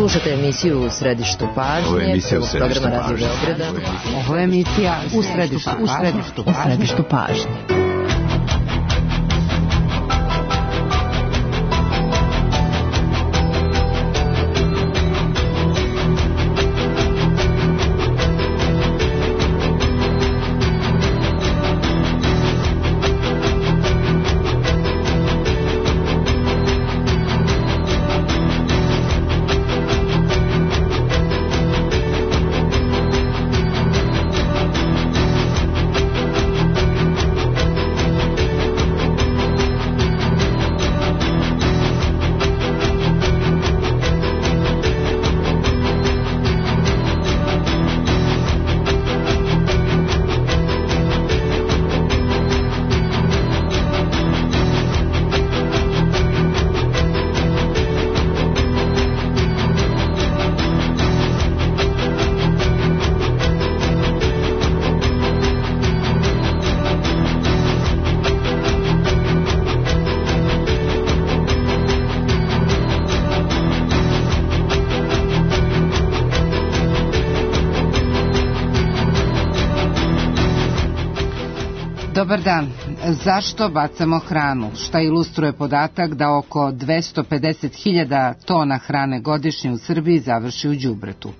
Slušate emisiju U središtu pažnje, programa Radio Beograda. Ovo je emisija U središtu pažnje. Dobar dan. Zašto bacamo hranu? Šta ilustruje podatak da oko 250.000 tona hrane godišnje u Srbiji završi u đubretu?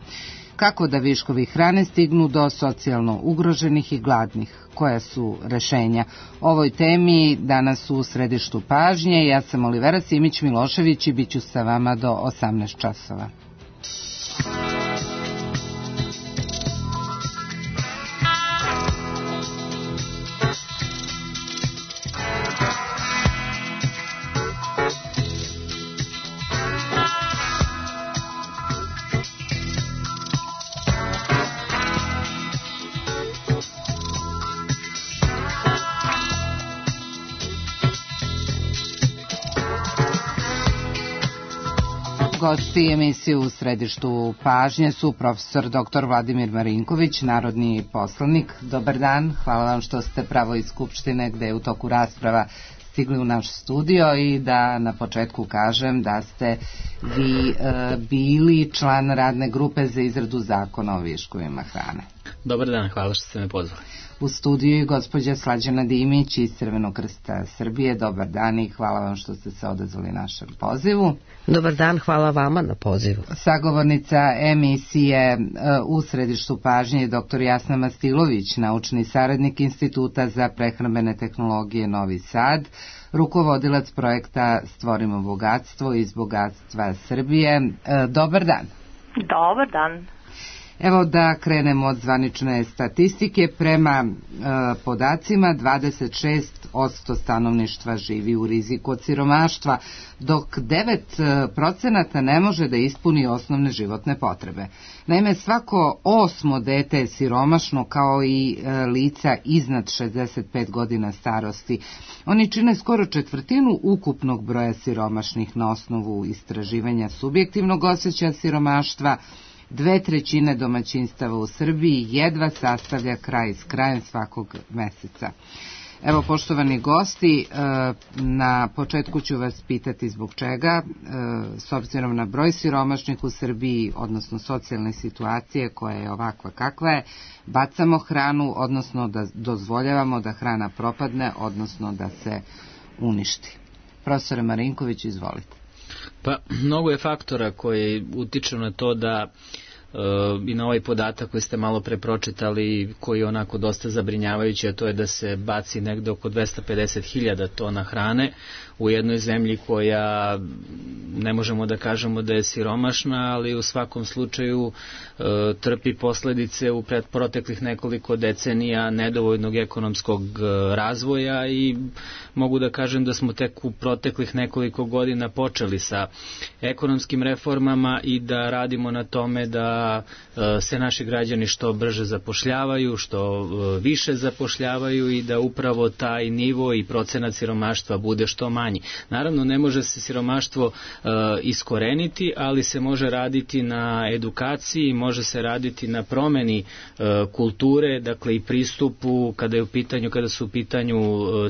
Kako da viškovi hrane stignu do socijalno ugroženih i gladnih? Koja su rešenja? Ovoj temi danas u središtu pažnje. Ja sam Olivera Simić-Milošević i bit ću sa vama do 18 časova. Gosti emisije U središtu pažnje su profesor dr. Vladimir Marinković, narodni poslanik. Dobar dan, hvala vam što ste pravo iz Skupštine gde je u toku rasprava stigli u naš studio i da na početku kažem da ste vi bili član radne grupe za izradu zakona o viškovima hrane. Dobar dan, hvala što ste me pozvali. U studiju je gospođa Slađana Dimić iz Crvenog krsta Srbije. Dobar dan i hvala vam što ste se odazvali našem pozivu. Dobar dan, hvala vama na pozivu. Sagovornica emisije U središtu pažnje je dr. Jasna Mastilović, naučni saradnik Instituta za prehrambene tehnologije Novi Sad, rukovodilac projekta Stvorimo bogatstvo iz bogatstva Srbije. Dobar dan. Dobar dan. Evo da krenemo od zvanične statistike. Prema podacima 26% stanovništva živi u riziku od siromaštva, dok 9% ne može da ispuni osnovne životne potrebe. Naime, svako 8. dete je siromašno, kao i lica iznad 65 godina starosti. Oni čine skoro 1/4 ukupnog broja siromašnih na osnovu istraživanja subjektivnog osjećaja siromaštva. 2/3 domaćinstava u Srbiji jedva sastavlja kraj s krajem svakog meseca. Evo, poštovani gosti, na početku ću vas pitati zbog čega, s obzirom na broj siromašnih u Srbiji, odnosno socijalne situacije koja je ovakva kakva je, bacamo hranu, odnosno da dozvoljavamo da hrana propadne, odnosno da se uništi. Profesore Marinković, izvolite. Pa, mnogo je faktora koji utiču na to da i na ovaj podatak koji ste malo pre pročitali, koji je onako dosta zabrinjavajući, a to je da se baci negde oko 250.000 tona hrane u jednoj zemlji koja ne možemo da kažemo da je siromašna, ali u svakom slučaju trpi posledice u proteklih nekoliko decenija nedovoljnog ekonomskog razvoja i mogu da kažem da smo tek u proteklih nekoliko godina počeli sa ekonomskim reformama i da radimo na tome da da se naši građani što brže zapošljavaju, što više zapošljavaju i da upravo taj nivo i procenat siromaštva bude što manji. Naravno, ne može se siromaštvo iskoreniti, ali se može raditi na edukaciji, može se raditi na promeni kulture, dakle i pristupu kada su u pitanju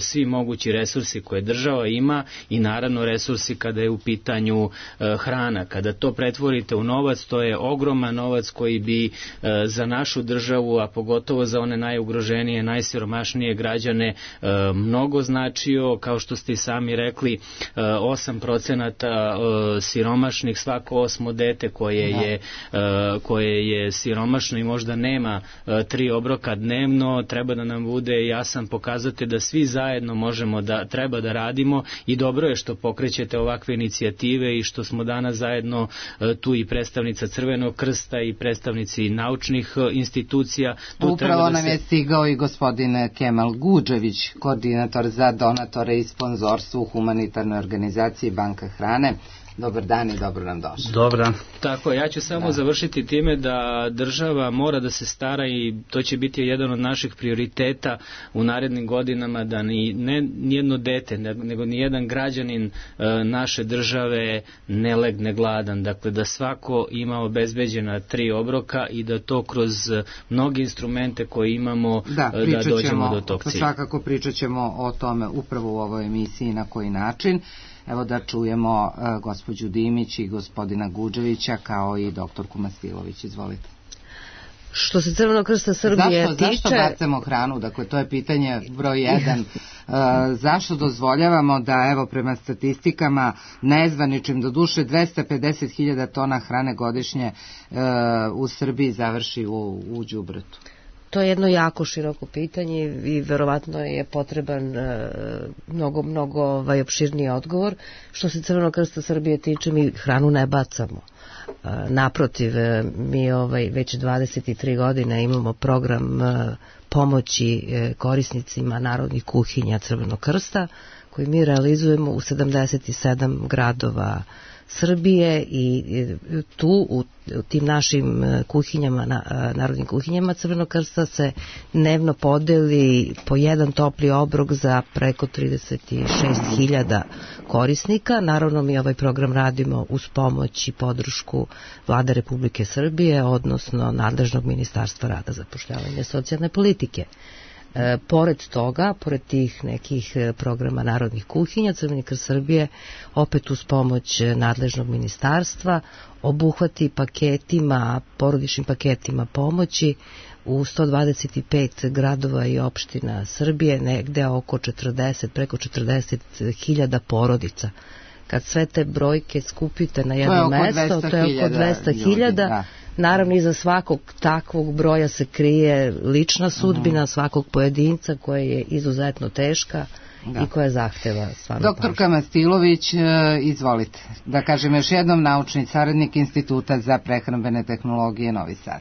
svi mogući resursi koje država ima i naravno resursi kada je u pitanju hrana. Kada to pretvorite u novac, to je ogroman novac koji bi za našu državu, a pogotovo za one najugroženije, najsiromašnije građane mnogo značio. Kao što ste i sami rekli, 8% siromašnih, svako 8. dete koje je siromašno i možda nema 3 obroka dnevno, treba da nam bude jasan pokazatelj da svi zajedno treba da radimo i dobro je što pokrećete ovakve inicijative i što smo danas zajedno tu i predstavnica Crvenog krsta i predstavnici naučnih institucija. Upravo nam je stigao i gospodin Kemal Gudžević, koordinator za donatore i sponzorstvo u humanitarnoj organizaciji Banka hrane. Dobar dan i dobro nam došli. Dobar dan. Tako, ja ću samo završiti time da država mora da se stara i to će biti jedan od naših prioriteta u narednim godinama da ne nijedno dete, nego nijedan građanin naše države ne legne gladan. Dakle, da svako ima obezbeđena 3 obroka i da to kroz mnoge instrumente koje imamo da dođemo do tog cilja. Svakako pričat ćemo o tome upravo u ovoj emisiji na koji način. Evo da čujemo gospođu Dimić i gospodina Gudževića kao i doktorku Mastilović. Izvolite. Što se Crvenog krsta Srbije tiče... Zašto bacamo hranu? Dakle, to je pitanje broj 1. Zašto dozvoljavamo da, evo, prema statistikama nezvaničnim, do duše 250.000 tona hrane godišnje u Srbiji završi u đubretu? To je jedno jako široko pitanje i verovatno je potreban mnogo opširniji odgovor. Što se Crvenog krsta Srbije tiče, mi hranu ne bacamo. Naprotiv, mi već 23 godine imamo program pomoći korisnicima narodnih kuhinja Crvenog krsta, koji mi realizujemo u 77 gradova Srbije i tu u tim našim kuhinjama, narodnim kuhinjama Crvenog krsta se dnevno podeli po jedan topli obrok za preko 36.000 korisnika. Naravno, mi ovaj program radimo uz pomoć i podršku Vlade Republike Srbije, odnosno nadležnog Ministarstva rada, zapošljavanja i socijalne politike. Pored toga, pored tih nekih programa narodnih kuhinja, Crveni krst Srbije opet uz pomoć nadležnog ministarstva obuhvati porodičnim paketima pomoći u 125 gradova i opština Srbije, negde preko 40.000 porodica. Kad sve te brojke skupite na jedno mesto, to je oko 200.000. Naravno, iza svakog takvog broja se krije lična sudbina svakog pojedinca koja je izuzetno teška i koja zahteva stvarno pažnju. Doktorka Mastilović, izvolite. Da kažem još jednom, naučni saradnik Instituta za prehrambene tehnologije Novi Sad.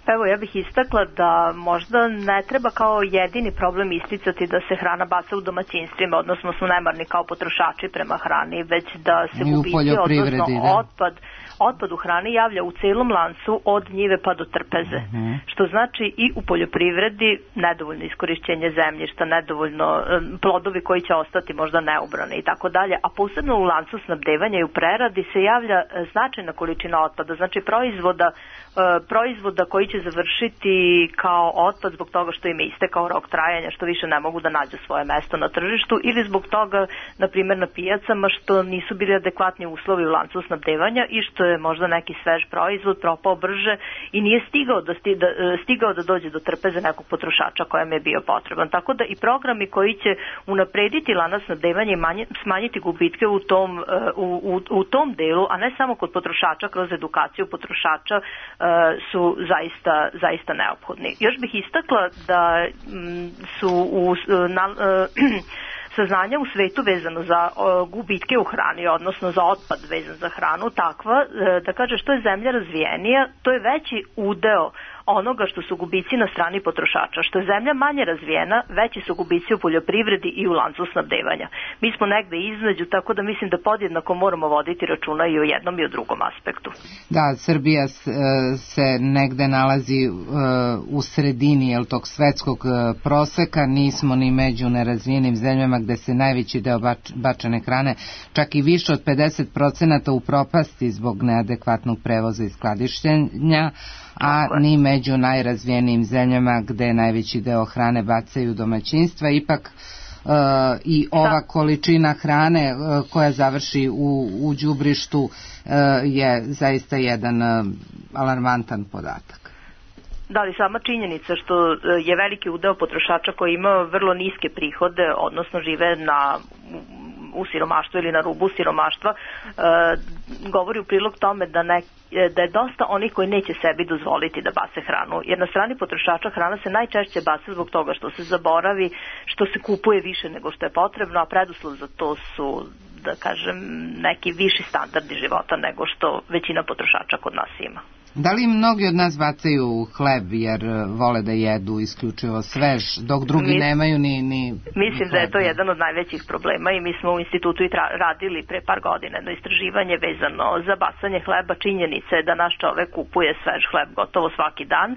Pa evo, ja bih istakla da možda ne treba kao jedini problem isticati da se hrana baca u domaćinstvima, odnosno smo nemarni kao potrošači prema hrani, već da se gubici, odnosno otpad u hrani javlja u celom lancu od njive pa do trpeze, što znači i u poljoprivredi nedovoljno iskorišćenje zemljišta, nedovoljno plodovi koji će ostati možda neobrani i tako dalje, a posebno u lancu snabdevanja i u preradi se javlja značajna količina otpada, znači proizvoda koji će završiti kao otpad zbog toga što im je istekao rok trajanja, što više ne mogu da nađu svoje mesto na tržištu, ili zbog toga, na primjer, na pijacama što nisu bili adekvatni uslovi u lancu snabdevanja i što je možda neki svež proizvod propao brže i nije stigao da dođe do trpeze nekog potrošača kojem je bio potreban. Tako da i programi koji će unaprediti lanac snabdevanja i smanjiti gubitke u tom delu, a ne samo kod potrošača kroz edukaciju potrošača, su zaista neophodni. Još bih istakla da su saznanja u svetu vezano za gubitke u hrani, odnosno za otpad vezan za hranu, takva da kaže što je zemlja razvijenija, to je veći udeo onoga što su gubici na strani potrošača. Što je zemlja manje razvijena, veći su gubici u poljoprivredi i u lancu snabdevanja. Mi smo negde između, tako da mislim da podjednako moramo voditi računa i o jednom i o drugom aspektu. Da, Srbija se negde nalazi u sredini tog svetskog proseka, nismo ni među nerazvijenim zemljama gde se najveći deo bačene hrane, čak i više od 50% u propasti zbog neadekvatnog prevoza i skladištenja, a ni među najrazvijenijim zemljama gde najveći deo hrane bacaju domaćinstva. Ipak i ova količina hrane koja završi u đubrištu je zaista jedan alarmantan podatak. Da, ali sama činjenica što je veliki udeo potrošača koji ima vrlo niske prihode, odnosno žive u siromaštvu ili na rubu siromaštva, govori u prilog tome da je dosta onih koji neće sebi dozvoliti da bace hranu. Jer na strani potrošača hrana se najčešće baca zbog toga što se zaboravi, što se kupuje više nego što je potrebno, a preduslov za to su, da kažem, neki viši standardi života nego što većina potrošača kod nas ima. Da li mnogi od nas bacaju hleb jer vole da jedu isključivo svež, dok drugi nemaju ni Mislim da je to jedan od najvećih problema i mi smo u institutu i radili pre par godina jedno istraživanje vezano za bacanje hleba. Činjenica je da naš čovek kupuje svež hleb gotovo svaki dan,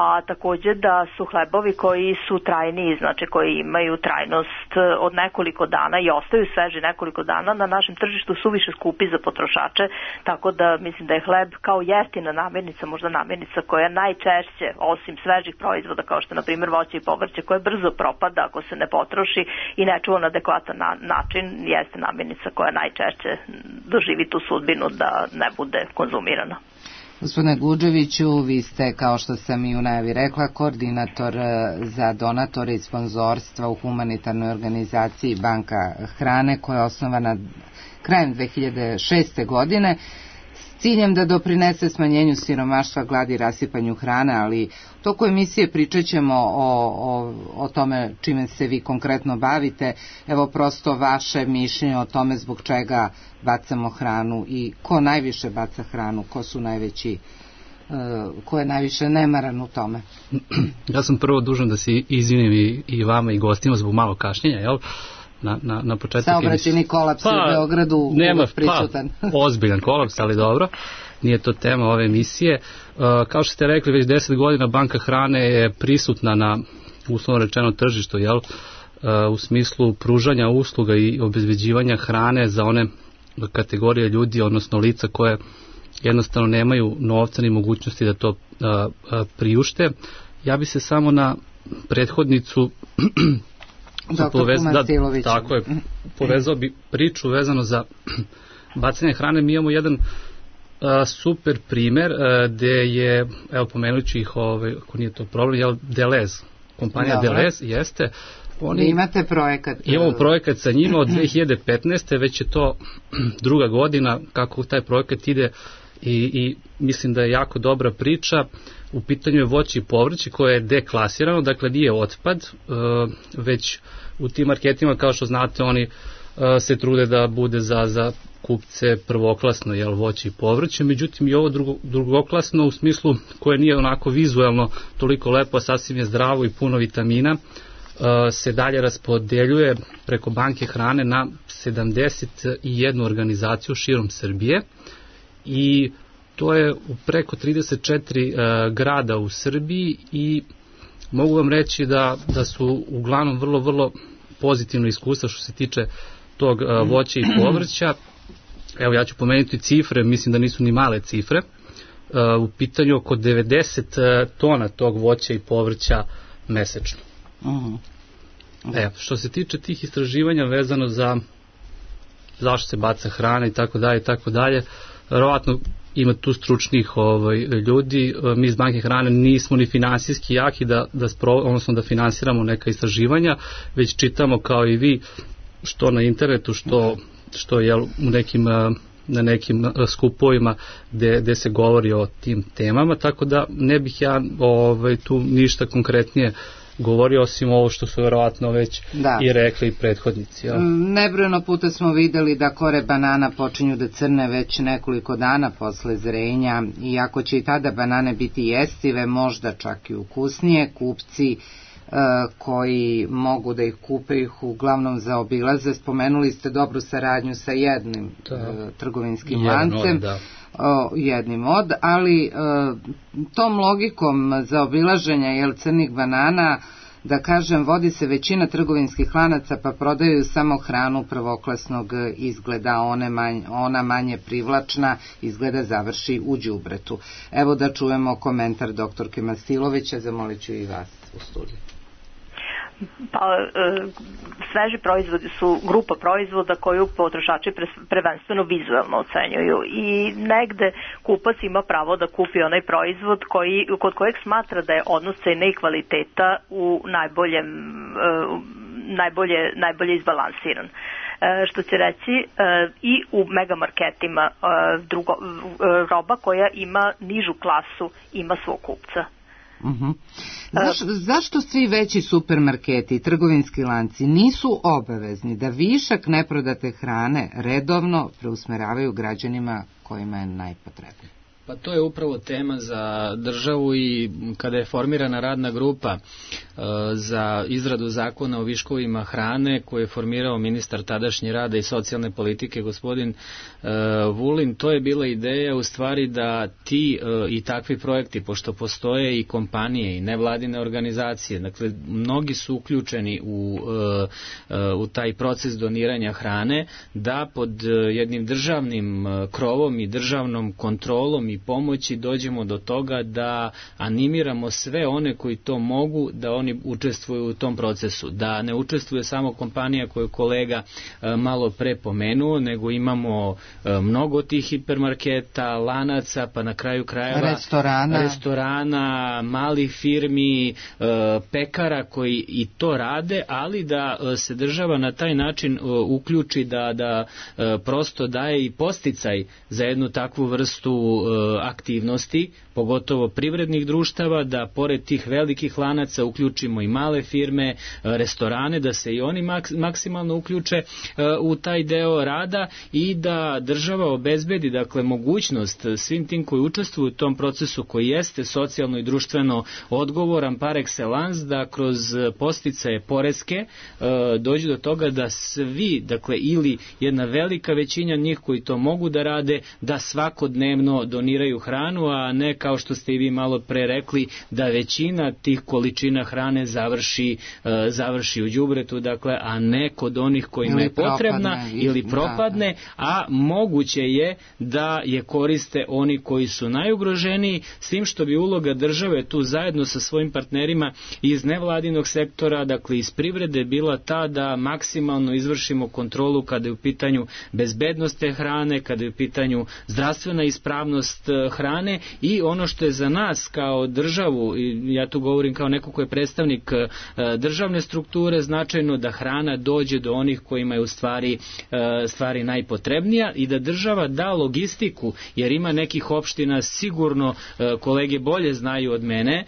a takođe da su hlebovi koji su trajniji, znači koji imaju trajnost od nekoliko dana i ostaju sveži nekoliko dana, na našem tržištu su više skupi za potrošače, tako da mislim da je hleb kao jeftina namirnica, možda namirnica koja najčešće, osim svežih proizvoda kao što je na primjer voće i povrće koje brzo propada ako se ne potroši i ne čuva na adekvatan način, jeste namirnica koja najčešće doživi tu sudbinu da ne bude konzumirana. Gospodine Guđeviću, vi ste, kao što sam i u najavi rekla, koordinator za donatore i sponzorstva u humanitarnoj organizaciji Banka hrane, koja je osnovana krajem 2006. godine s ciljem da doprinese smanjenju siromaštva, gladi i rasipanju hrane, ali u toku emisije pričat ćemo o tome čime se vi konkretno bavite. Evo prosto vaše mišljenje o tome zbog čega bacamo hranu i ko najviše baca hranu, ko su najveći, ko je najviše nemaran u tome. Ja sam prvo dužan da se izvinim i vama i gostima zbog malo kašnjenja, jel? Na početku saobraćajni kolaps u Beogradu uvek prisutan. Ozbiljan kolaps, ali dobro, nije to tema ove emisije. Kao što ste rekli, već 10 godina Banka hrane je prisutna na, uslovno rečeno, tržištu, jel? U smislu pružanja usluga i obezbeđivanja hrane za one kategorije ljudi, odnosno lica koje jednostavno nemaju novca ni mogućnosti da to priušte. Ja bi se samo na prethodnicu tako je, povezao bi priču vezano za bacanje hrane. Mi imamo jedan super primer gde je, evo pomenući ih, ako nije to problem, Delez, kompanija Delez, jeste. Imate projekat? Imamo projekat sa njima od 2015. Već je to druga godina kako taj projekat ide i mislim da je jako dobra priča. U pitanju je voće i povrće koje je deklasirano, dakle nije otpad, već u tim marketima, kao što znate, oni se trude da bude za kupce prvoklasno, jel, voće i povrće, međutim i ovo drugoklasno u smislu koje nije onako vizuelno toliko lepo, sasvim je zdravo i puno vitamina, se dalje raspodeljuje preko Banke hrane na 71 organizaciju širom Srbije i to je u preko 34 grada u Srbiji i mogu vam reći da su uglavnom vrlo, vrlo pozitivno iskustva što se tiče tog voća i povrća. Evo ja ću pomenuti cifre, mislim da nisu ni male cifre. U pitanju oko 90 tona tog voća i povrća mesečno. Što se tiče tih istraživanja vezano za zašto se baca hrana i tako dalje, verovatno ima tu stručnih ljudi. Mi iz Banke hrane nismo ni finansijski jaki da finansiramo neka istraživanja, već čitamo kao i vi što na internetu, što je na nekim skupovima gde se govori o tim temama, tako da ne bih ja tu ništa konkretnije govorio, osim ovo što su verovatno već i rekli prethodnici. Ja. Nebrojeno puta smo videli da kore banana počinju da crne već nekoliko dana posle zrenja, i ako će i tada banane biti jestive, možda čak i ukusnije, kupci koji mogu da ih kupe, ih uglavnom zaobilaze. Spomenuli ste dobru saradnju sa jednim trgovinskim lancem, jednim od, ali tom logikom zaobilaženja crnih banana, da kažem, vodi se većina trgovinskih lanaca, pa prodaju samo hranu prvoklasnog izgleda, ona manje privlačna izgleda završi u đubretu. Evo da čujemo komentar doktorke Masilovića, zamolit ću i vas u studiju. Pa, sveži proizvodi su grupa proizvoda koju potrošači prvenstveno vizualno ocenjuju i negde kupac ima pravo da kupi onaj proizvod kod kojeg smatra da je odnos cene i kvaliteta u najbolje izbalansiran. Što će reći, i u megamarketima roba koja ima nižu klasu ima svog kupca. Zašto svi veći supermarketi i trgovinski lanci nisu obavezni da višak neprodate hrane redovno preusmeravaju građanima kojima je najpotrebnije? Pa to je upravo tema za državu, i kada je formirana radna grupa za izradu zakona o viškovima hrane koju je formirao ministar tadašnji rada i socijalne politike gospodin Vulin, to je bila ideja u stvari da ti i takvi projekti, pošto postoje i kompanije i nevladine organizacije, dakle mnogi su uključeni u taj proces doniranja hrane, da pod jednim državnim krovom i državnom kontrolom i pomoći dođemo do toga da animiramo sve one koji to mogu, da oni učestvuju u tom procesu, da ne učestvuje samo kompanija koju kolega malo pre pomenuo, nego imamo mnogo tih hipermarketa, lanaca, pa na kraju krajeva restorana, malih firmi, pekara koji i to rade, ali da se država na taj način uključi, da prosto daje i podsticaj za jednu takvu vrstu aktivnosti, pogotovo privrednih društava, da pored tih velikih lanaca uključimo i male firme, restorane, da se i oni maksimalno uključe u taj deo rada i da država obezbedi, dakle, mogućnost svim tim koji učestvuju u tom procesu, koji jeste socijalno i društveno odgovoran par excellence, da kroz podsticaje poreske dođu do toga da svi, dakle, ili jedna velika većina njih koji to mogu da rade, da svakodnevno doniraju hranu, a ne kao što ste i vi malo pre rekli, da većina tih količina hrane završi u đubretu, dakle, a ne kod onih kojima je potrebna ili propadne, a moguće je da je koriste oni koji su najugroženiji, s tim što bi uloga države tu zajedno sa svojim partnerima iz nevladinog sektora, dakle iz privrede, bila ta da maksimalno izvršimo kontrolu kada je u pitanju bezbednost te hrane, kada je u pitanju zdravstvena ispravnost hrane, i ono što je za nas kao državu, i ja tu govorim kao neko ko je predstavnik državne strukture, značajno da hrana dođe do onih kojima je u stvari najpotrebnija, i da država da logistiku, jer ima nekih opština, sigurno kolege bolje znaju od mene,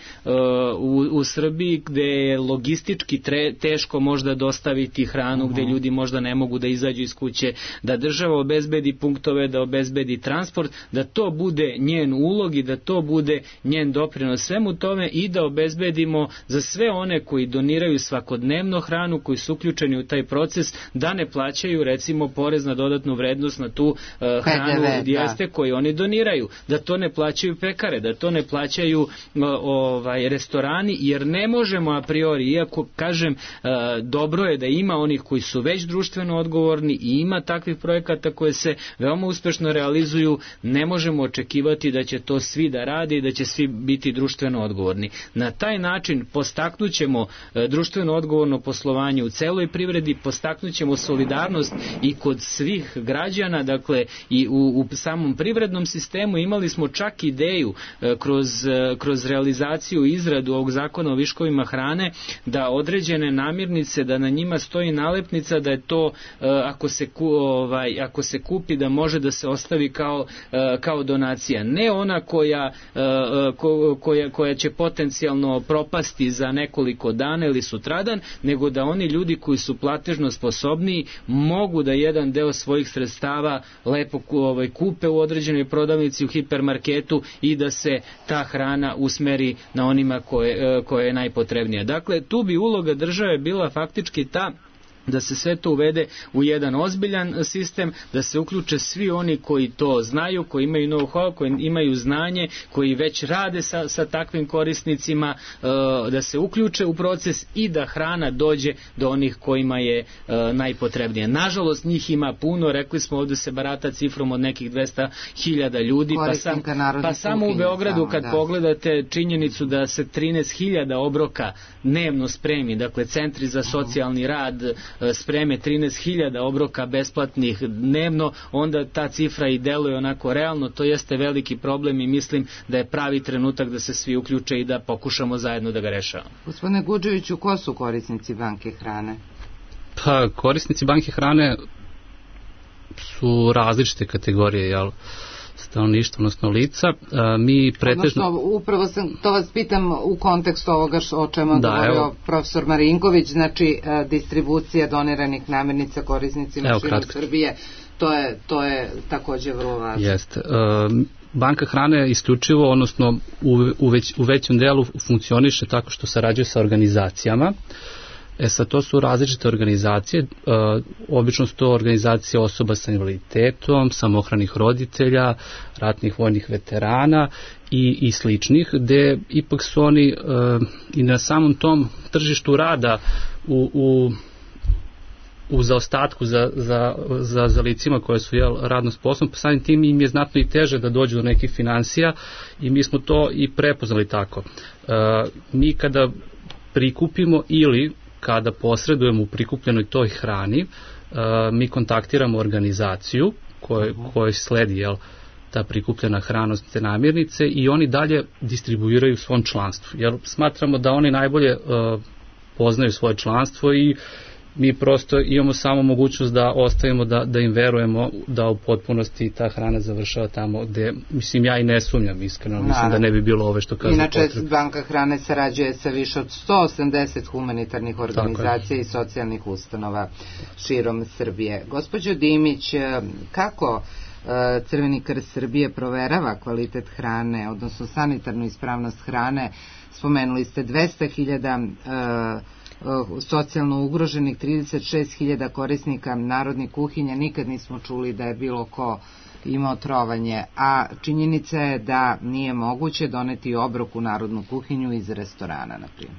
u Srbiji gde je logistički teško možda dostaviti hranu, gde ljudi možda ne mogu da izađu iz kuće, da država obezbedi punktove, da obezbedi transport, da to bude njen ulog i da to bude njen doprinos svemu tome, i da obezbedimo za sve one koji doniraju svakodnevno hranu, koji su uključeni u taj proces, da ne plaćaju recimo porez na dodatnu vrednost na tu hranu koju oni doniraju, da to ne plaćaju pekare, da to ne plaćaju restorani, jer ne možemo a priori, iako kažem dobro je da ima onih koji su već društveno odgovorni i ima takvih projekata koje se veoma uspešno realizuju, ne možemo očekivati da će to svi da rade i da će svi biti društveno odgovorni. Na taj način postaknućemo društveno odgovorno poslovanje u celoj privredi, postaknućemo solidarnost i kod svih građana, dakle i u samom privrednom sistemu. Imali smo čak ideju kroz realizaciju i izradu ovog zakona o viškovima hrane, da određene namirnice, da na njima stoji nalepnica da je to ako se kupi da može da se ostavi kao donacija. Ne ona koja će potencijalno propasti za za nekoliko dana ili sutradan, nego da oni ljudi koji su platežno sposobniji mogu da jedan deo svojih sredstava lepo kupe u određenoj prodavnici, u hipermarketu i da se ta hrana usmeri na onima koje je najpotrebnija. Dakle, tu bi uloga države bila faktički ta da se sve to uvede u jedan ozbiljan sistem, da se uključe svi oni koji to znaju, koji imaju know-how, koji imaju znanje, koji već rade sa takvim korisnicima, da se uključe u proces i da hrana dođe do onih kojima je najpotrebnije. Nažalost, njih ima puno, rekli smo ovdje se barata cifrom od nekih 200.000 ljudi, pa samo u Beogradu kad pogledate činjenicu da se 13.000 obroka dnevno spremi, dakle centri za socijalni rad spreme 13.000 obroka besplatnih dnevno, onda ta cifra i deluje onako realno. To jeste veliki problem i mislim da je pravi trenutak da se svi uključe i da pokušamo zajedno da ga rešavamo. Gospodine Gudževiću, ko su korisnici banke hrane? Pa, korisnici banke hrane su različite kategorije, stanovništva, odnosno lica. Mi pretežno... Odnosno, upravo to vas pitam u kontekstu ovoga o čemu je govorio profesor Marinković, znači distribucija doniranih namirnica korisnicima širom Srbije, to je takođe vrlo važno. Jeste. Banka hrane isključivo, odnosno u većem delu funkcioniše tako što sarađuje sa organizacijama. Sad, to su različite organizacije, obično su to organizacije osoba sa invaliditetom, samohranih roditelja, ratnih vojnih veterana i sličnih, gde ipak su oni i na samom tom tržištu rada u zaostatku za licima koje su radno sposobne, pa samim tim im je znatno i teže da dođu do nekih financija i mi smo to i prepoznali tako. Mi kada prikupimo ili kada posredujemo u prikupljenoj toj hrani, mi kontaktiramo organizaciju kojoj sledi ta prikupljena hrana, te namirnice, i oni dalje distribuiraju svom članstvu. Jer smatramo da oni najbolje poznaju svoje članstvo i mi prosto imamo samo mogućnost da ostavimo da im verujemo da u potpunosti ta hrana završava tamo gde, mislim, ja i ne sumnjam iskreno, mislim da ne bi bilo ove što kažu potrebno. Inače, banka hrane sarađuje sa više od 180 humanitarnih organizacija i socijalnih ustanova širom Srbije. Gospođo Dimić, kako Crveni krst Srbije proverava kvalitet hrane, odnosno sanitarnu ispravnost hrane? Spomenuli ste 200.000 socijalno ugroženih, 36.000 korisnika narodnih kuhinja, nikad nismo čuli da je bilo ko imao trovanje, a činjenica je da nije moguće doneti obrok u narodnu kuhinju iz restorana, na primjer.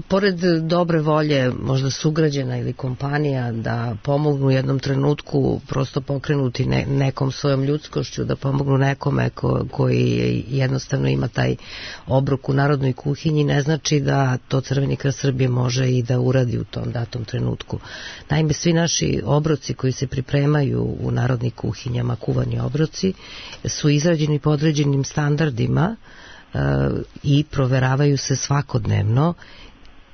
Pored dobre volje možda sugrađena ili kompanija da pomognu u jednom trenutku, prosto pokrenuti nekom svojom ljudskošću, da pomognu nekome koji jednostavno ima taj obrok u narodnoj kuhinji, ne znači da to Crveni krst Srbije može i da uradi u tom datom trenutku. Naime, svi naši obroci koji se pripremaju u narodnim kuhinjama, kuvani obroci, su izrađeni po određenim standardima i proveravaju se svakodnevno,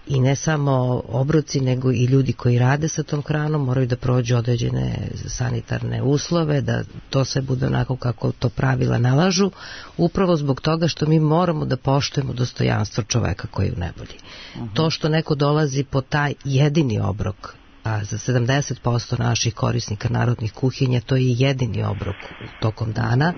i ne samo obroci nego i ljudi koji rade sa tom hranom moraju da prođu određene sanitarne uslove, da to sve bude onako kako to pravila nalažu, upravo zbog toga što mi moramo da poštujemo dostojanstvo čoveka koji je u nevolji. To što neko dolazi po taj jedini obrok, a za 70% naših korisnika narodnih kuhinja to je jedini obrok tokom dana,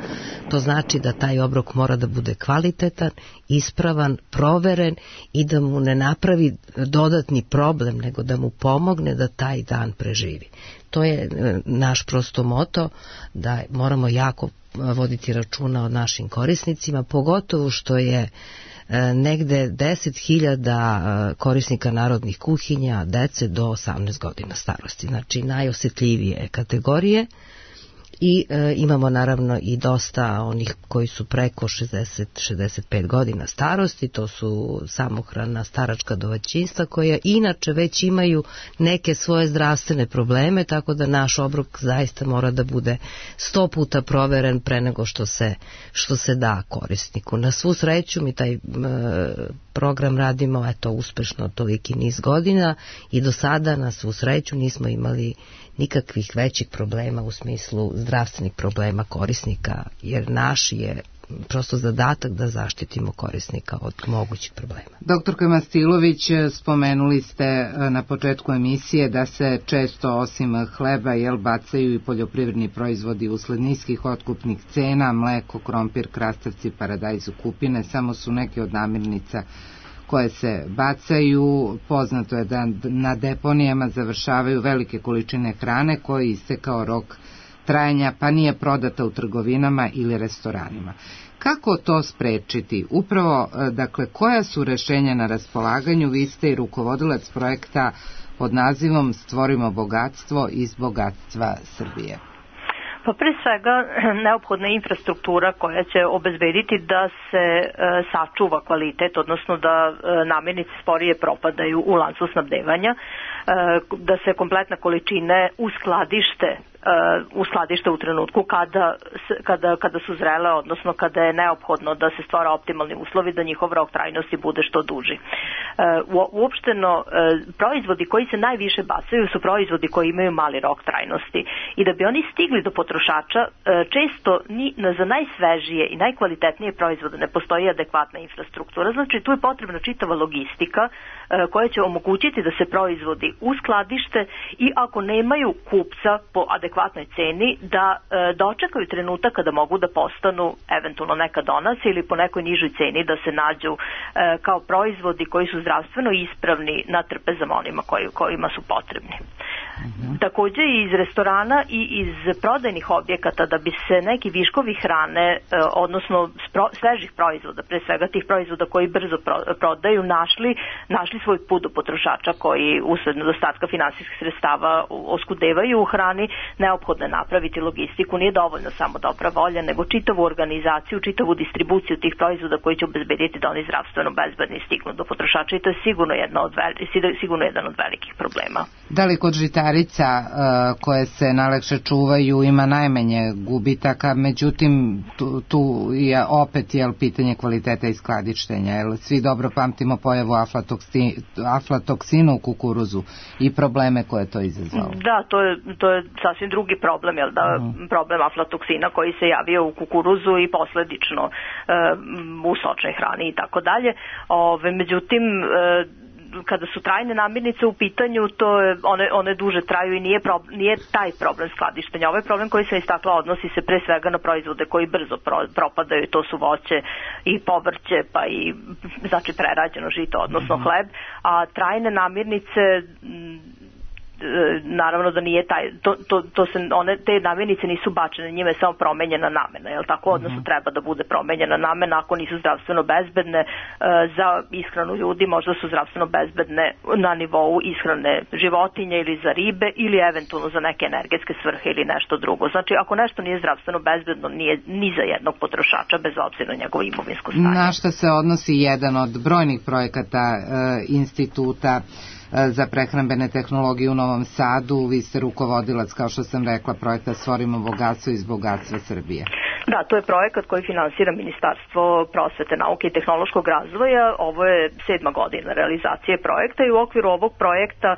to znači da taj obrok mora da bude kvalitetan, ispravan, proveren i da mu ne napravi dodatni problem, nego da mu pomogne da taj dan preživi. To je naš prosto moto, da moramo jako voditi računa o našim korisnicima, pogotovo što je negde 10.000 korisnika narodnih kuhinja, dece do 18 godina starosti, znači najosetljivije kategorije, i imamo naravno i dosta onih koji su preko 60-65 godina starosti, to su samohrana staračka domaćinstva koja inače već imaju neke svoje zdravstvene probleme, tako da naš obrok zaista mora da bude 100 puta proveren pre nego što se da korisniku. Na svu sreću mi taj program radimo uspešno toliki niz godina i do sada na svu sreću nismo imali nikakvih većih problema u smislu zdravstvenih problema korisnika, jer naš je prosto zadatak da zaštitimo korisnika od mogućih problema. Doktorka Mastilović, spomenuli ste na početku emisije da se često osim hleba bacaju i poljoprivredni proizvodi usled niskih otkupnih cena, mleko, krompir, krastavci, paradajz, kupine, samo su neke od namirnica koje se bacaju. Poznato je da na deponijama završavaju velike količine hrane koji istekao rok trajanja pa nije prodata u trgovinama ili restoranima. Kako to sprečiti? Upravo, dakle, koja su rešenja na raspolaganju? Vi ste i rukovodilac projekta pod nazivom Stvorimo bogatstvo iz bogatstva Srbije. Pa pre svega neophodna infrastruktura koja će obezbediti da se sačuva kvalitet, odnosno da namirnice sporije propadaju u lancu snabdevanja, da se kompletna količine uskladište u trenutku kada su zrele, odnosno kada je neophodno da se stvara optimalni uslovi da njihov rok trajnosti bude što duži. Uopšteno, proizvodi koji se najviše bacaju su proizvodi koji imaju mali rok trajnosti i da bi oni stigli do potrošača, često za najsvežije i najkvalitetnije proizvode ne postoji adekvatna infrastruktura. Znači, tu je potrebna čitava logistika koja će omogućiti da se proizvodi uskladište i ako nemaju kupca po adekvatnoj ceni, da dočekaju trenutak kada mogu da postanu eventualno neka donacija ili po nekoj nižoj ceni da se nađu kao proizvodi koji su zdravstveno ispravni na trpezama onima kojima su potrebni. Takođe i iz restorana i iz prodajnih objekata da bi se neki viškovi hrane, odnosno svežih proizvoda, pre svega tih proizvoda koji brzo prodaju, našli svoj put do potrošača koji usled nedostatka finansijskih sredstava oskudevaju u hrani, neophodno je napraviti logistiku. Nije dovoljno samo dobra volja, nego čitavu organizaciju, čitavu distribuciju tih proizvoda koji će obezbediti da oni zdravstveno bezbedni stignu do potrošača i to je sigurno jedan od velikih problema. Da li kod žitarica koje se najlakše čuvaju ima najmanje gubitaka, međutim tu je opet pitanje kvaliteta i skladištenja, jer svi dobro pamtimo pojavu aflatoksina u kukuruzu i probleme koje to izazvalo. Da, to je sasvim drugi problem, problem aflatoksina koji se javio u kukuruzu i posledično u sočnoj hrani i tako dalje. Međutim, kada su trajne namirnice u pitanju, one duže traju i nije taj problem skladištenja. Ovaj problem koji sam istakla odnosi se pre svega na proizvode koji brzo propadaju, to su voće i povrće, pa i znači prerađeno žito, odnosno hleb, a trajne namirnice naravno da nije te namirnice nisu bačene, njime je samo promenjena namena, jel tako? Odnosno treba da bude promenjena namena, ako nisu zdravstveno bezbedne za ishranu ljudi, možda su zdravstveno bezbedne na nivou ishrane životinja ili za ribe ili eventualno za neke energetske svrhe ili nešto drugo. Znači, ako nešto nije zdravstveno bezbedno, nije ni za jednog potrošača bez obzira na njegovo imovinsko stanje. Na šta se odnosi jedan od brojnih projekata instituta za prehrambene tehnologije u Novom Sadu? Vi ste rukovodilac, kao što sam rekla, projekta Stvorimo bogatstvo iz bogatstva Srbije. Da, to je projekat koji finansira Ministarstvo prosvete, nauke i tehnološkog razvoja. Ovo je 7. godina realizacije projekta i u okviru ovog projekta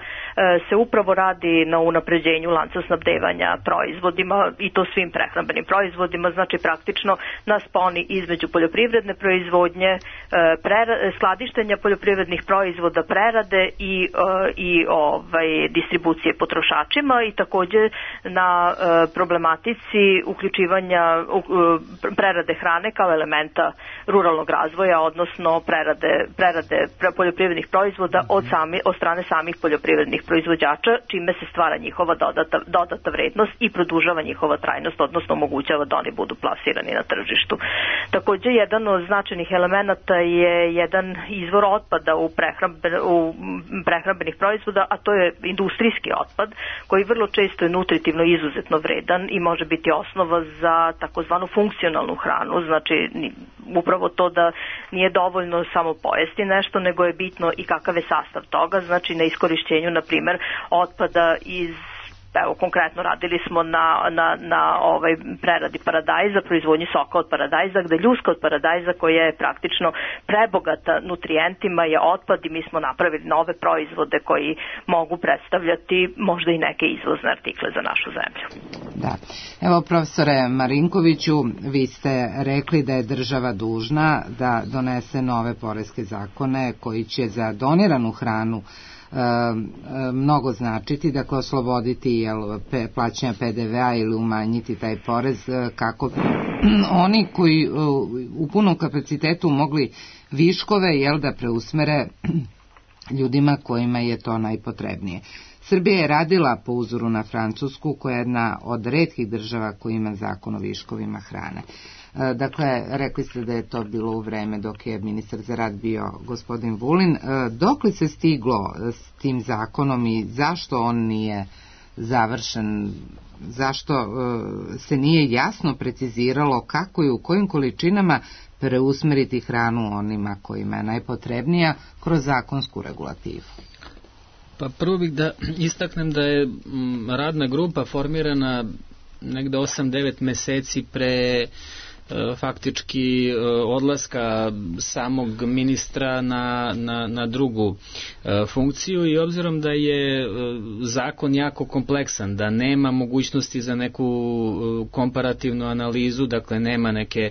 se upravo radi na unapređenju lanca snabdevanja proizvodima i to svim prehrambenim proizvodima, znači praktično na sponi između poljoprivredne proizvodnje, skladištenja poljoprivrednih proizvoda, prerade i distribucije potrošačima i takođe na problematici uključivanja prerade hrane kao elementa ruralnog razvoja, odnosno prerade poljoprivrednih proizvoda od strane samih poljoprivrednih proizvođača, čime se stvara njihova dodata vrednost i produžava njihova trajnost, odnosno omogućava da oni budu plasirani na tržištu. Takođe, jedan od značajnih elemenata je jedan izvor otpada u prehrambenih proizvoda, a to je industrijski otpad, koji vrlo često je nutritivno izuzetno vredan i može biti osnova za takozvanu funkcionalnu hranu, znači upravo to da nije dovoljno samo pojesti nešto, nego je bitno i kakav je sastav toga, znači na iskorišćenju, na primer, otpada iz evo konkretno radili smo na preradi paradajza, proizvodnji soka od paradajza, gde ljuska od paradajza koja je praktično prebogata nutrijentima je otpad i mi smo napravili nove proizvode koji mogu predstavljati možda i neke izvozne artikle za našu zemlju. Da. Evo, profesore Marinkoviću, vi ste rekli da je država dužna da donese nove poreske zakone koji će za doniranu hranu mnogo značiti, dakle osloboditi plaćanja PDV-a ili umanjiti taj porez kako oni koji u punom kapacitetu mogli viškove da preusmere ljudima kojima je to najpotrebnije. Srbija je radila po uzoru na Francusku, koja je jedna od retkih država koja ima zakon o viškovima hrane. Dakle, rekli ste da je to bilo u vreme dok je ministar za rad bio gospodin Vulin. Dok li se stiglo s tim zakonom i zašto on nije završen? Zašto se nije jasno preciziralo kako i u kojim količinama preusmeriti hranu onima kojima je najpotrebnija kroz zakonsku regulativu? Pa prvo bih da istaknem da je radna grupa formirana negde 8-9 meseci pre faktički odlaska samog ministra na drugu funkciju i obzirom da je zakon jako kompleksan, da nema mogućnosti za neku komparativnu analizu, dakle nema neke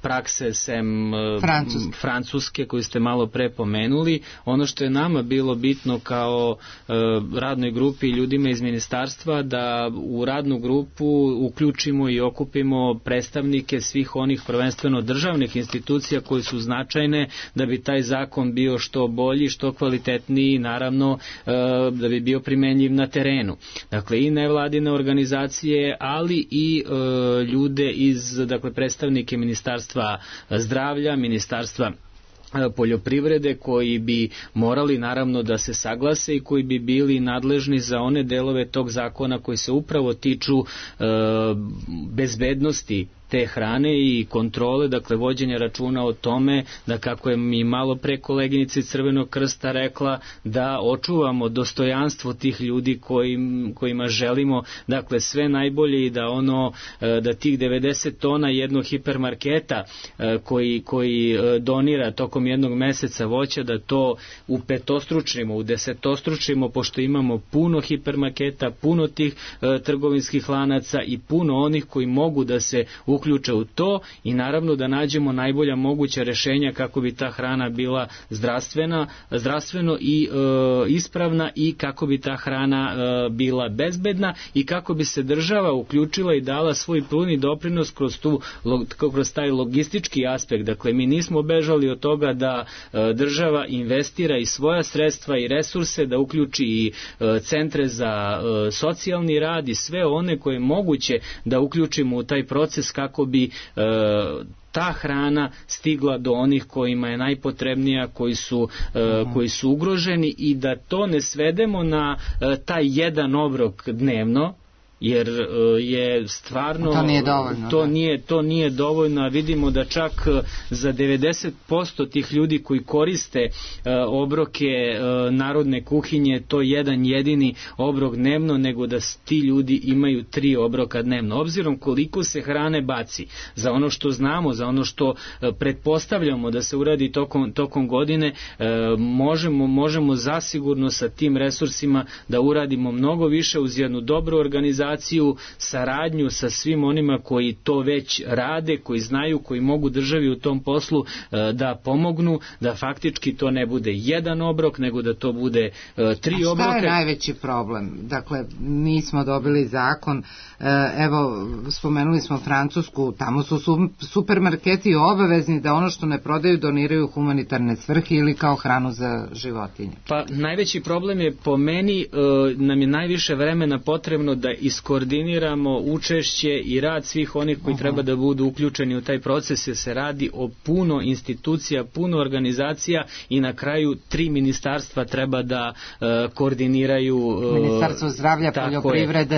prakse sem francuske koju ste malo pre pomenuli, ono što je nama bilo bitno kao radnoj grupi i ljudima iz ministarstva da u radnu grupu uključimo i okupimo predstavnike svih onih prvenstveno državnih institucija koje su značajne da bi taj zakon bio što bolji, što kvalitetniji, naravno da bi bio primenljiv na terenu. Dakle, i nevladine organizacije, ali i ljude iz, dakle, predstavnike Ministarstva zdravlja, Ministarstva poljoprivrede koji bi morali naravno da se saglase i koji bi bili nadležni za one delove tog zakona koji se upravo tiču bezbednosti te hrane i kontrole, dakle vođenja računa o tome da, kako je mi malo pre koleginica iz Crvenog krsta rekla, da očuvamo dostojanstvo tih ljudi kojima želimo, dakle sve najbolje i da tih 90 tona jednog hipermarketa koji donira tokom jednog meseca voća, da to upetostručimo, udesetostručimo, pošto imamo puno hipermarketa, puno tih trgovinskih lanaca i puno onih koji mogu da se uključe u to i naravno da nađemo najbolja moguća rešenja kako bi ta hrana bila zdravstveno i ispravna i kako bi ta hrana bila bezbedna i kako bi se država uključila i dala svoj puni doprinos kroz taj logistički aspekt. Dakle, mi nismo bežali od toga da država investira i svoja sredstva i resurse, da uključi i centre za socijalni rad i sve one koje je moguće da uključimo u taj proces kako bi ta hrana stigla do onih kojima je najpotrebnija, koji su ugroženi i da to ne svedemo na taj jedan obrok dnevno, jer je stvarno to nije dovoljno, a vidimo da čak za 90% tih ljudi koji koriste obroke narodne kuhinje to jedan jedini obrok dnevno, nego da ti ljudi imaju 3 obroka dnevno. Obzirom koliko se hrane baci, za ono što znamo, za ono što pretpostavljamo da se uradi tokom godine, možemo zasigurno sa tim resursima da uradimo mnogo više uz jednu dobru organizaciju, saradnju sa svim onima koji to već rade, koji znaju, koji mogu državi u tom poslu da pomognu, da faktički to ne bude jedan obrok, nego da to bude 3 obroka. A šta je najveći problem? Dakle, mi smo dobili zakon, evo, spomenuli smo Francusku, tamo su supermarketi obavezni da ono što ne prodaju doniraju humanitarne svrhe ili kao hranu za životinje. Pa najveći problem je po meni, nam je najviše vremena potrebno da iskoristimo skoordiniramo učešće i rad svih onih koji treba da budu uključeni u taj proces, jer se radi o puno institucija, puno organizacija i na kraju 3 ministarstva treba da koordiniraju. Ministarstvo zdravlja,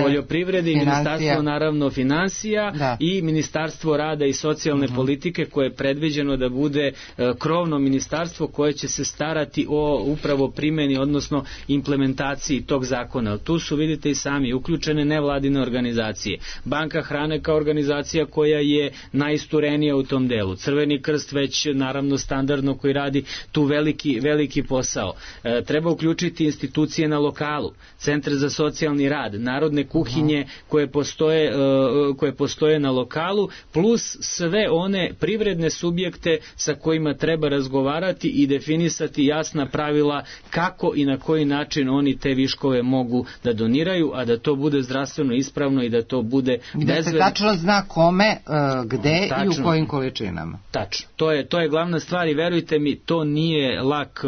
poljoprivrede, Ministarstvo naravno finansija i Ministarstvo rada i socijalne politike, koje je predviđeno da bude krovno ministarstvo koje će se starati o upravo primjeni, odnosno implementaciji tog zakona. Tu su, vidite i sami, uključene nevladine organizacije. Banka hrane kao organizacija koja je najisturenija u tom delu. Crveni krst već naravno standardno koji radi tu veliki posao. Treba uključiti institucije na lokalu, centar za socijalni rad, narodne kuhinje koje postoje na lokalu, plus sve one privredne subjekte sa kojima treba razgovarati i definisati jasna pravila kako i na koji način oni te viškove mogu da doniraju, a da to bude zdravstveno ispravno i da to bude da se tačno zna kome, gde i u kojim količinama. Tačno. To je glavna stvar i verujte mi, to nije lak,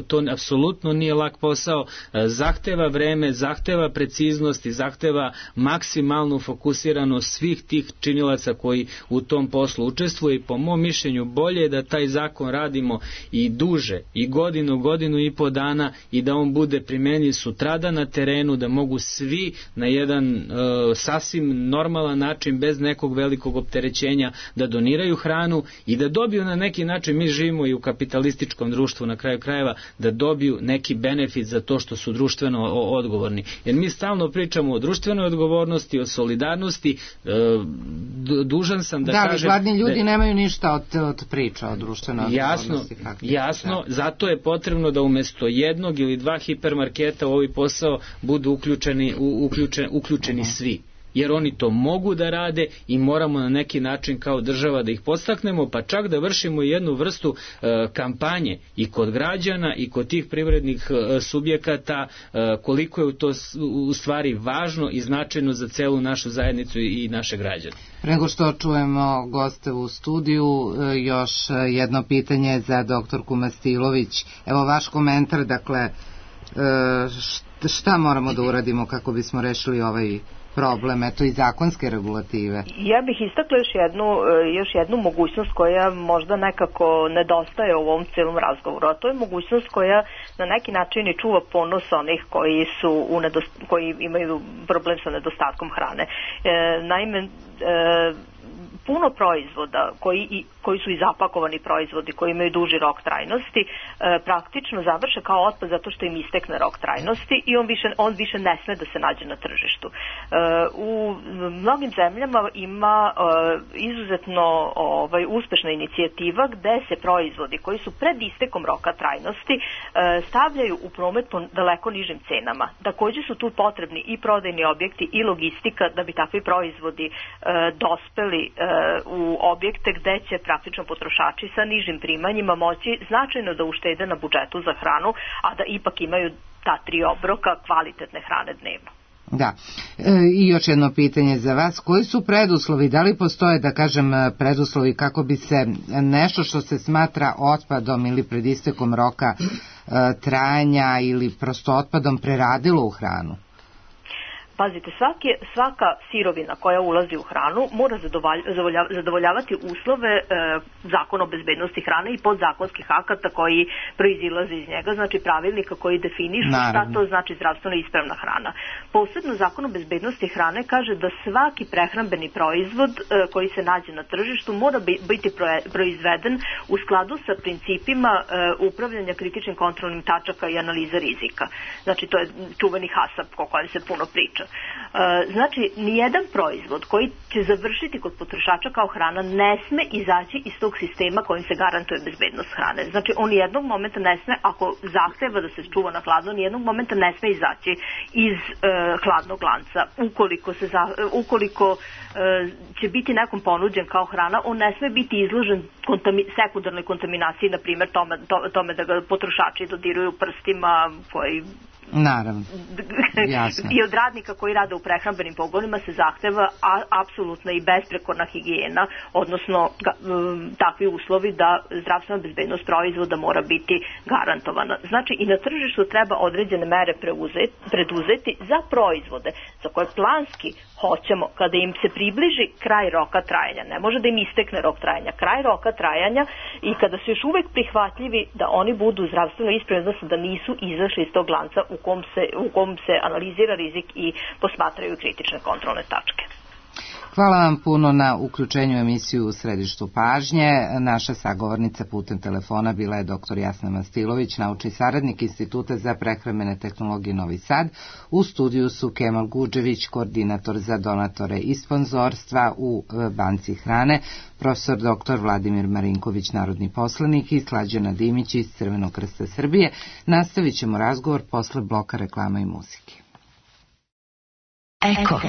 to apsolutno nije lak posao, zahteva vreme, zahteva preciznost i zahteva maksimalnu fokusiranost svih tih činilaca koji u tom poslu učestvuju i po mom mišljenju bolje je da taj zakon radimo i duže, i godinu i po dana i da on bude primenjiv sutradan na terenu, da mogu svi na jedan sasvim normalan način, bez nekog velikog opterećenja, da doniraju hranu i da dobiju na neki način, mi živimo i u kapitalističkom društvu na kraju krajeva, da dobiju neki benefit za to što su društveno odgovorni. Jer mi stalno pričamo o društvenoj odgovornosti, o solidarnosti, dužan sam da kažem... Da, gladni ljudi nemaju ništa od priča o društvenoj odgovornosti. Jasno, zato je potrebno da umesto jednog ili 2 hipermarketa u ovaj posao budu uključeni svi. Jer oni to mogu da rade i moramo na neki način kao država da ih podstaknemo, pa čak da vršimo jednu vrstu kampanje i kod građana i kod tih privrednih subjekata, koliko je to u stvari važno i značajno za celu našu zajednicu i naše građane. Pre nego što čujemo goste u studiju, još jedno pitanje za doktorku Mastilović. Evo vaš komentar, dakle, šta moramo da uradimo kako bismo rešili ovaj problem, eto i zakonske regulative? Ja bih istakla još jednu mogućnost koja možda nekako nedostaje u ovom celom razgovoru, a to je mogućnost koja na neki način i čuva ponos onih koji imaju problem sa nedostatkom hrane. Naime, puno proizvoda koji su i zapakovani proizvodi, koji imaju duži rok trajnosti, praktično završe kao otpad zato što im istekne rok trajnosti i on više ne sme da se nađe na tržištu. U mnogim zemljama ima izuzetno uspešna inicijativa gde se proizvodi koji su pred istekom roka trajnosti stavljaju u promet po daleko nižim cenama. Takođe su tu potrebni i prodajni objekti i logistika da bi takvi proizvodi dospeli u objekte gde će praktično potrošači sa nižim primanjima moći značajno da uštede na budžetu za hranu, a da ipak imaju ta 3 obroka kvalitetne hrane dnevno. Da. I još jedno pitanje za vas. Koji su preduslovi, da li postoje, da kažem, preduslovi kako bi se nešto što se smatra otpadom ili pred istekom roka trajanja ili prosto otpadom preradilo u hranu? Pazite, svaka sirovina koja ulazi u hranu mora zadovoljavati uslove zakona o bezbednosti hrane i podzakonskih akata koji proizilaze iz njega, znači pravilnika koji definišu šta to znači zdravstveno ispravna hrana. Posebno zakon o bezbednosti hrane kaže da svaki prehrambeni proizvod koji se nađe na tržištu mora biti proizveden u skladu sa principima upravljanja kritičnim kontrolnim tačaka i analiza rizika. Znači, to je čuveni HACCP o kojem se puno priča. Znači, nijedan proizvod koji će završiti kod potrošača kao hrana ne sme izaći iz tog sistema kojim se garantuje bezbednost hrane. Znači, on nijednog momenta ne sme, ako zahteva da se čuva na hladno, nijednog momenta ne sme izaći iz hladnog lanca. Ukoliko će biti nekom ponuđen kao hrana, on ne sme biti izložen sekundarnoj kontaminaciji, na primjer tome da ga potrošači dodiruju prstima koji Naravno. I od radnika koji rade u prehrambenim pogonima se zahteva apsolutna i besprekorna higijena, odnosno takvi uslovi da zdravstvena bezbednost proizvoda mora biti garantovana. Znači i na tržištu treba određene mere preduzeti za proizvode za koje planski hoćemo kada im se približi kraj roka trajanja. Ne može da im istekne rok trajanja. Kraj roka trajanja i kada su još uvek prihvatljivi da oni budu zdravstveno ispravni, odnosno da nisu izašli iz tog lanca u kom se analizira rizik i posmatraju kritične kontrolne tačke. Hvala vam puno na uključenju emisiju u središtu pažnje. Naša sagovornica putem telefona bila je dr. Jasna Mastilović, naučni saradnik Instituta za prehrambene tehnologije Novi Sad. U studiju su Kemal Guđević, koordinator za donatore i sponzorstva u Banci hrane, profesor dr. Vladimir Marinković, narodni poslanik, i Slađana Dimić iz Crvenog krsta Srbije. Nastavit ćemo razgovor posle bloka reklama i muzike. Eko.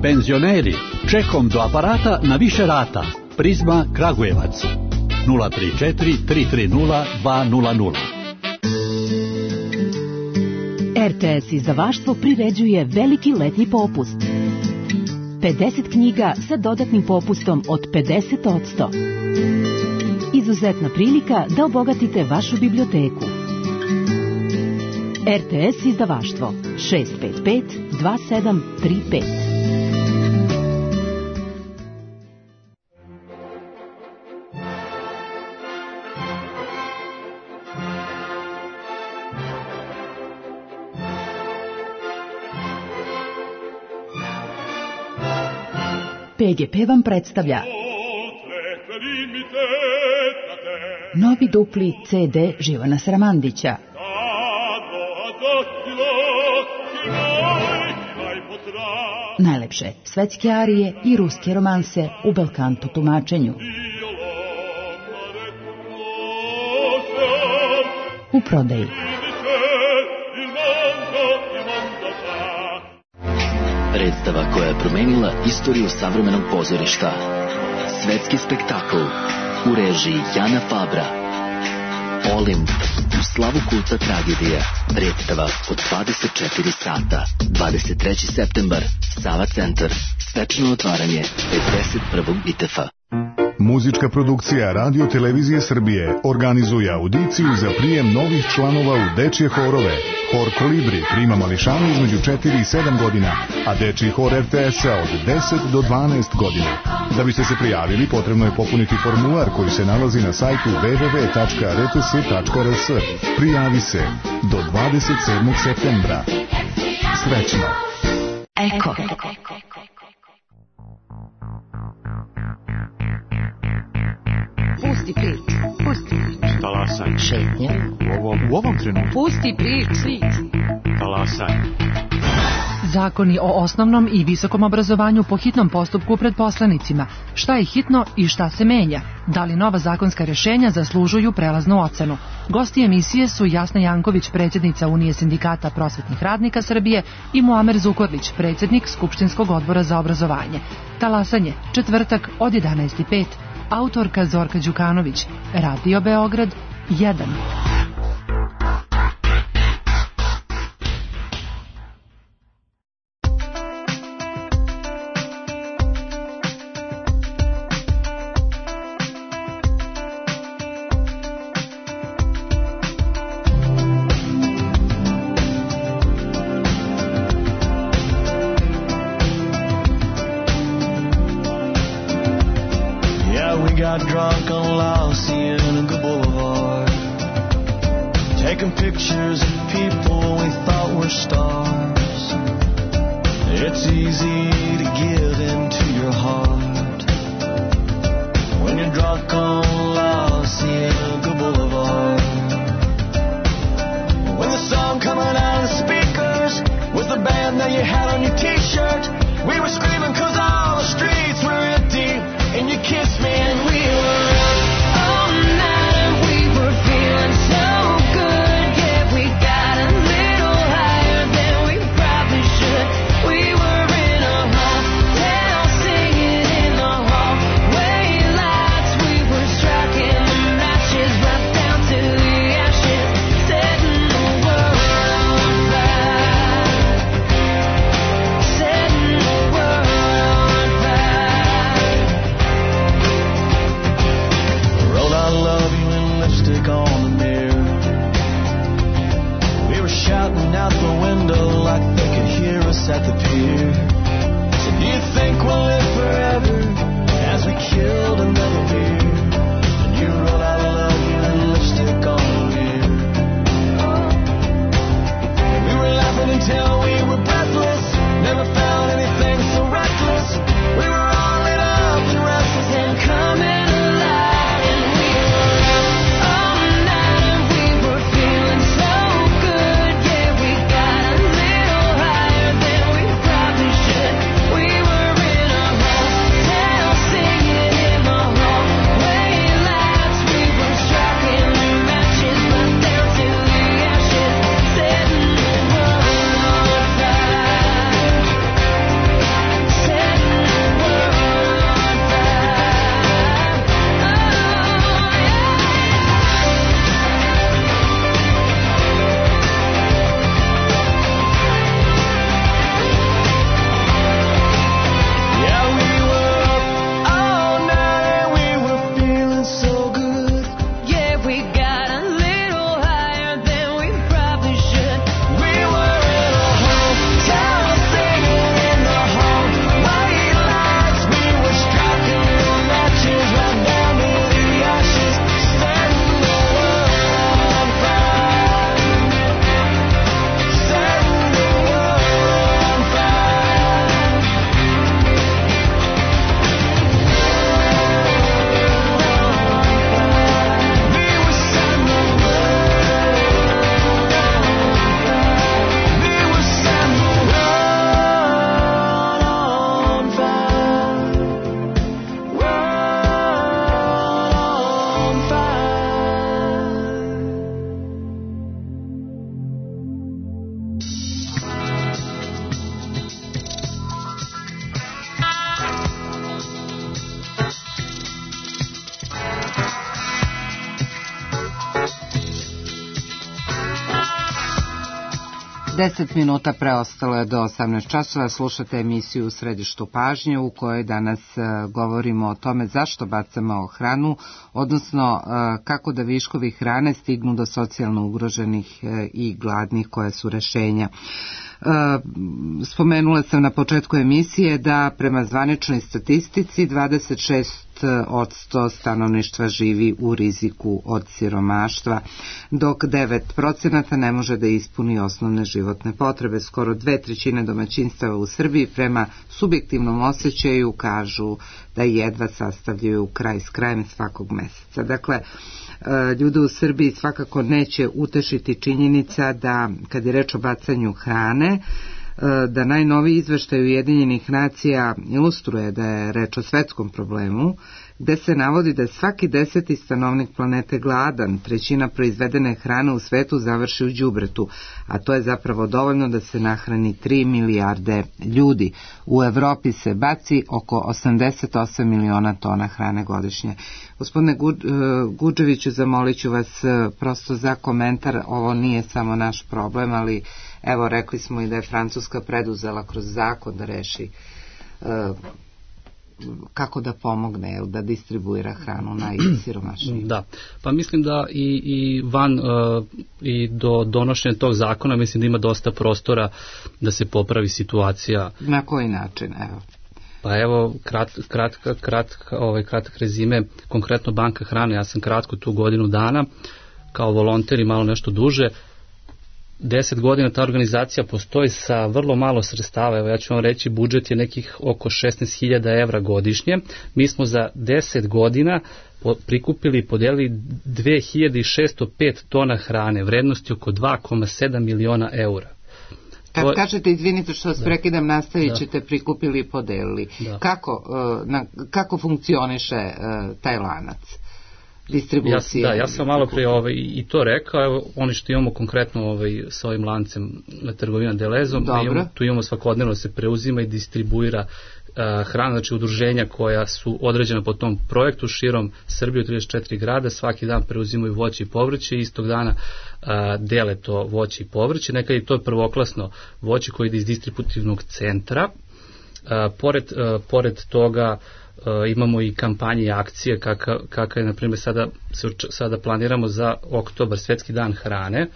Penzioneri, čekom do aparata na više rata. Prizma Kragujevac 034 330 200. RTS izdavaštvo priređuje veliki letnji popust. 50 knjiga sa dodatnim popustom od 50%. Izuzetna prilika da obogatite vašu biblioteku. RTS izdavaštvo 655 2735. PGP vam predstavlja novi dupli CD Živana Sramandića. Najlepše svetske arije i ruske romanse u belkanto tumačenju. U prodaji. Predstava koja je promenila istoriju savremenog pozorišta. Svetski spektakl u režiji Jana Fabra. Olimp u slavu kulta tragedija. Predstava od 24 sata. 23. septembar. Sava centar. Svečano otvaranje 51. ITF-a. Muzička produkcija Radio Televizije Srbije organizuje audiciju za prijem novih članova u dečje horove. Hor Kolibri prima mališane između 4 i 7 godina, a dečji hor RTS-a od 10 do 12 godina. Da biste se prijavili, potrebno je popuniti formular koji se nalazi na sajtu www.rts.rs. Prijavi se do 27. septembra. Srećno! Eko. Pusti priču. Talasaj. Šetnja. U ovom trenutku. Pusti priču. Talasaj. Zakoni o osnovnom i visokom obrazovanju po hitnom postupku pred poslanicima. Šta je hitno i šta se menja? Da li nova zakonska rješenja zaslužuju prelaznu ocenu? Gosti emisije su Jasna Janković, predsjednica Unije sindikata prosvetnih radnika Srbije, i Muamer Zukorlić, predsjednik Skupštinskog odbora za obrazovanje. Talasanje, četvrtak od 11:05. Autorka Zorka Đukanović. Radio Beograd 1. Got drunk on La Cienega Boulevard, taking pictures of people we thought were stars. It's easy to give into your heart when you're drunk on La Cienega Boulevard. When the song coming out of the speakers was the band that you had on your t-shirt, we were screaming 'cause all the streets were empty. And you kissed me and we were up all night and we were feeling so good. Yeah, we got a little higher than we probably should. We were in a hotel singing in the hallway lights. We were striking the matches right down to the ashes, setting the at the pier. Said, do you think we'll live forever? As we killed another beer. And you wrote I love you and lipstick on the mirror. And we were laughing until we were breathless. Never found anything so reckless. We were all lit up and restless and coming alive. And we were up all night and we were feeling so good. Yeah, we got a little higher than we probably should. We were in a hotel singing in the hallway lights. We were striking the matches, but down to the ashes, setting the world on fire. Setting the world on fire. Yeah, we were up all night and we were feeling so good. Yeah, we got a little higher than we probably should. We were in a hotel singing in the hallway lights. We were striking the matches right down to the ashes, setting the world on fire. Setting the world on fire. We were setting the world on fire. World on Deset minuta preostalo je do 18 časova. Slušate emisiju U središtu pažnje u kojoj danas govorimo o tome zašto bacamo hranu, odnosno kako da viškovi hrane stignu do socijalno ugroženih i gladnih, koja su rešenja. Spomenula sam na početku emisije da prema zvaničnoj statistici 26% stanovništva živi u riziku od siromaštva, dok 9% ne može da ispuni osnovne životne potrebe. Skoro 2/3 domaćinstava u Srbiji prema subjektivnom osjećaju kažu da jedva sastavljaju kraj s krajem svakog meseca. Dakle, ljude u Srbiji svakako neće utešiti činjenica da, kad je reč o bacanju hrane, da najnoviji izveštaj Ujedinjenih nacija ilustruje da je reč o svetskom problemu, gde se navodi da svaki 10. stanovnik planete gladan, 1/3 proizvedene hrane u svetu završi u đubretu, a to je zapravo dovoljno da se nahrani 3 milijarde ljudi. U Evropi se baci oko 88 miliona tona hrane godišnje. Gospodine Guđeviću, zamolit ću vas prosto za komentar. Ovo nije samo naš problem, ali evo, rekli smo i da je Francuska preduzela kroz zakon da reši kako da pomogne, da distribuira hranu najsiromašnijim. Da, pa mislim da i do donošenja tog zakona mislim da ima dosta prostora da se popravi situacija. Na koji način, evo? Pa evo, kratak rezime, konkretno Banka hrane, ja sam kratko tu godinu dana, kao volonter i malo nešto duže. 10 godina ta organizacija postoji sa vrlo malo sredstava. Evo, ja ću vam reći, budžet je nekih oko 16.000 evra godišnje. Mi smo za 10 godina prikupili i podelili 2605 tona hrane, vrednosti oko 2,7 miliona eura. Kad kažete, izvinite što vas prekidam, nastavit ćete prikupili i podelili. Kako funkcioniše taj lanac distribucije? Ja sam malo prije i to rekao. Evo, oni što imamo konkretno sa ovim lancem trgovina Delezom, tu imamo svakodnevno se preuzima i distribuira hrana, znači udruženja koja su određena po tom projektu širom Srbije u 34 grada, svaki dan preuzimaju voće i povrće i istog dana dele to voće i povrće. Nekad je to prvoklasno voće koje ide iz distributivnog centra. Pored toga imamo i kampanje i akcije kakva je, na primjer, sada planiramo za oktobar, Svetski dan hrane.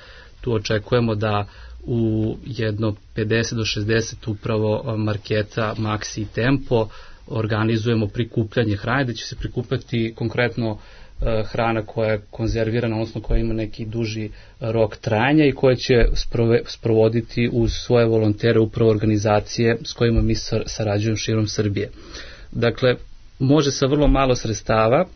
tu očekujemo da u jedno 50 do 60 upravo marketa Maxi i Tempo organizujemo prikupljanje hrane, da će se prikupljati konkretno hrana koja je konzervirana, odnosno koja ima neki duži rok trajanja i koja će sprovoditi uz svoje volontere upravo organizacije s kojima mi sarađujemo širom Srbije. Dakle, može sa vrlo malo sredstava,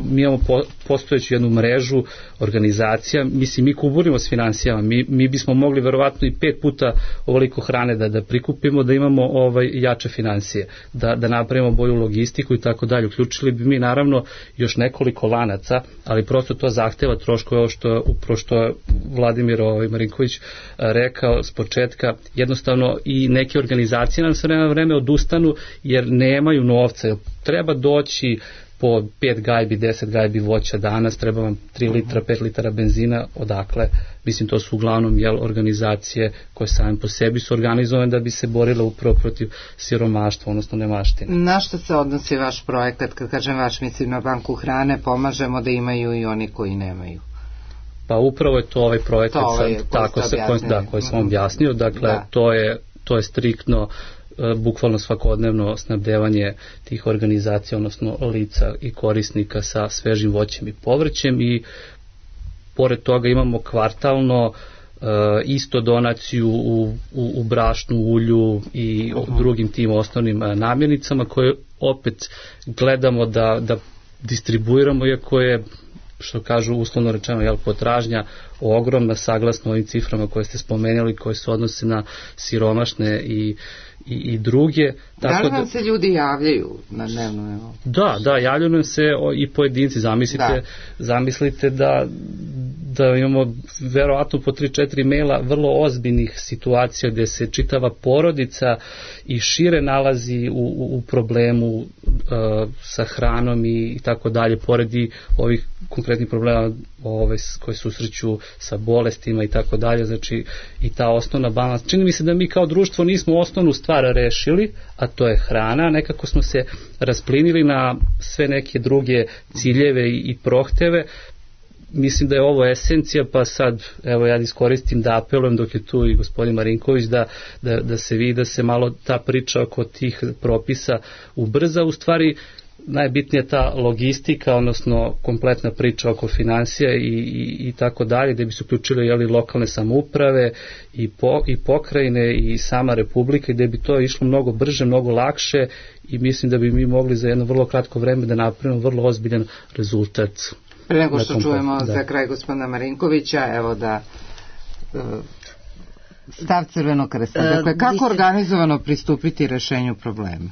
mi imamo postojeću jednu mrežu organizacija, mislim mi kuburimo s financijama, mi bismo mogli verovatno i 5 puta ovoliko hrane da prikupimo, da imamo jače financije, da napravimo bolju logistiku i tako dalje. Uključili bi mi naravno još nekoliko lanaca, ali prosto to zahteva troškove, ovo što je Vladimir Marinković rekao s početka, jednostavno i neke organizacije nam se na vreme odustanu jer nemaju novca, treba doći po 5 gajbi, 10 gajbi voća danas, treba vam 3 litra, 5 litara benzina, odakle? Mislim, to su uglavnom organizacije koje same po sebi su organizovane da bi se borile upravo protiv siromaštva, odnosno nemaštine. Na što se odnosi vaš projekat? Kad kažem vaš, mislim na banku hrane, pomažemo da imaju i oni koji nemaju. Pa upravo je to ovaj projekat koji sam objasnio, dakle to je striktno bukvalno svakodnevno snabdevanje tih organizacija, odnosno lica i korisnika sa svežim voćem i povrćem i pored toga imamo kvartalno isto donaciju u brašnu, ulju i drugim tim osnovnim namirnicama koje opet gledamo da distribuiramo, iako je, što kažu uslovno rečeno, potražnja ogromna saglasno ovim ciframa koje ste spomenuli, koje se odnose na siromašne i druge. Da li vam se ljudi javljaju na dnevno nivou? Da, javljaju nam se i pojedinci. Zamislite da imamo verovatno po 3-4 maila vrlo ozbiljnih situacija gdje se čitava porodica i šire nalazi u problemu sa hranom i tako dalje, pored i ovih konkretnih problema koji susreću sa bolestima i tako dalje, znači i ta osnovna balans. Čini mi se da mi kao društvo nismo osnovnu stvar rešili, a to je hrana, nekako smo se rasplinili na sve neke druge ciljeve i prohteve. Mislim da je ovo esencija, pa sad evo ja iskoristim da apelujem dok je tu i gospodin Marinković da se vidi da se malo ta priča oko tih propisa ubrza. U stvari najbitnija je ta logistika, odnosno kompletna priča oko financija i tako dalje, gde bi se uključili lokalne samouprave i pokrajine i sama Republika, gde bi to išlo mnogo brže, mnogo lakše i mislim da bi mi mogli za jedno vrlo kratko vreme da napravimo vrlo ozbiljan rezultat. Pre nego što čujemo za kraj gospodina Marinkovića, evo da stav Crvenog krsta. Dakle, kako organizovano pristupiti rešenju problema?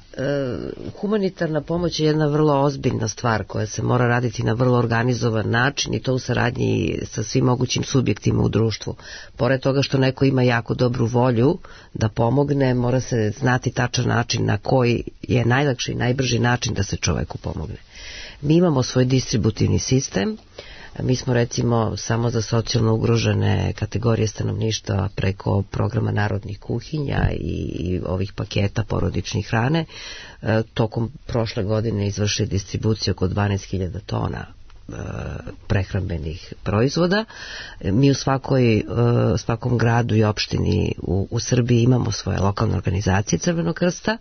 Humanitarna pomoć je jedna vrlo ozbiljna stvar koja se mora raditi na vrlo organizovan način i to u saradnji sa svim mogućim subjektima u društvu. Pored toga što neko ima jako dobru volju da pomogne, mora se znati tačan način na koji je najlakši i najbrži način da se čoveku pomogne. Mi imamo svoj distributivni sistem. Mi smo recimo samo za socijalno ugrožene kategorije stanovništva preko programa narodnih kuhinja i ovih paketa porodičnih hrane tokom prošle godine izvršili distribuciju oko 12.000 tona prehrambenih proizvoda. Mi u svakom gradu i opštini u Srbiji imamo svoje lokalne organizacije Crvenog krsta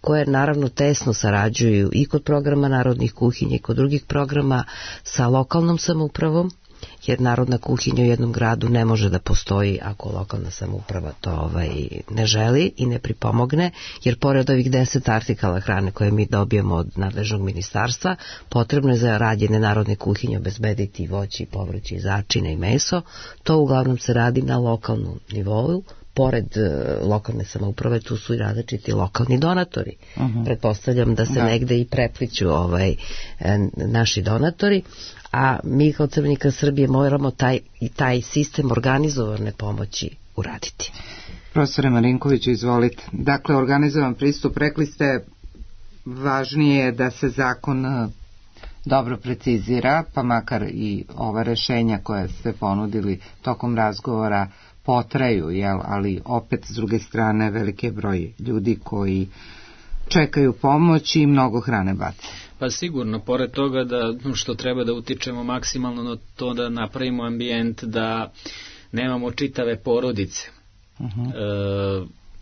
koje naravno tesno sarađuju i kod programa narodnih kuhinja i kod drugih programa sa lokalnom samoupravom, jer narodna kuhinja u jednom gradu ne može da postoji ako lokalna samouprava to ne želi i ne pripomogne, jer pored ovih 10 artikala hrane koje mi dobijemo od nadležnog ministarstva, potrebno je za rađene narodne kuhinje obezbediti voće i povrće i začine i meso. To uglavnom se radi na lokalnom nivou. Pored lokalne samouprave tu su i različiti lokalni donatori. Pretpostavljam da se negde i prepliću naši donatori, a mi kao Crveni krst Srbije moramo taj sistem organizovane pomoći uraditi. Profesore Marinković, izvolite. Dakle, organizovan pristup, rekli ste, važnije je da se zakon dobro precizira, pa makar i ova rešenja koje ste ponudili tokom razgovora potraju, ali opet s druge strane veliki broj ljudi koji čekaju pomoć i mnogo hrane bace. Pa sigurno, pored toga da što treba da utičemo maksimalno na to da napravimo ambijent da nemamo čitave porodice.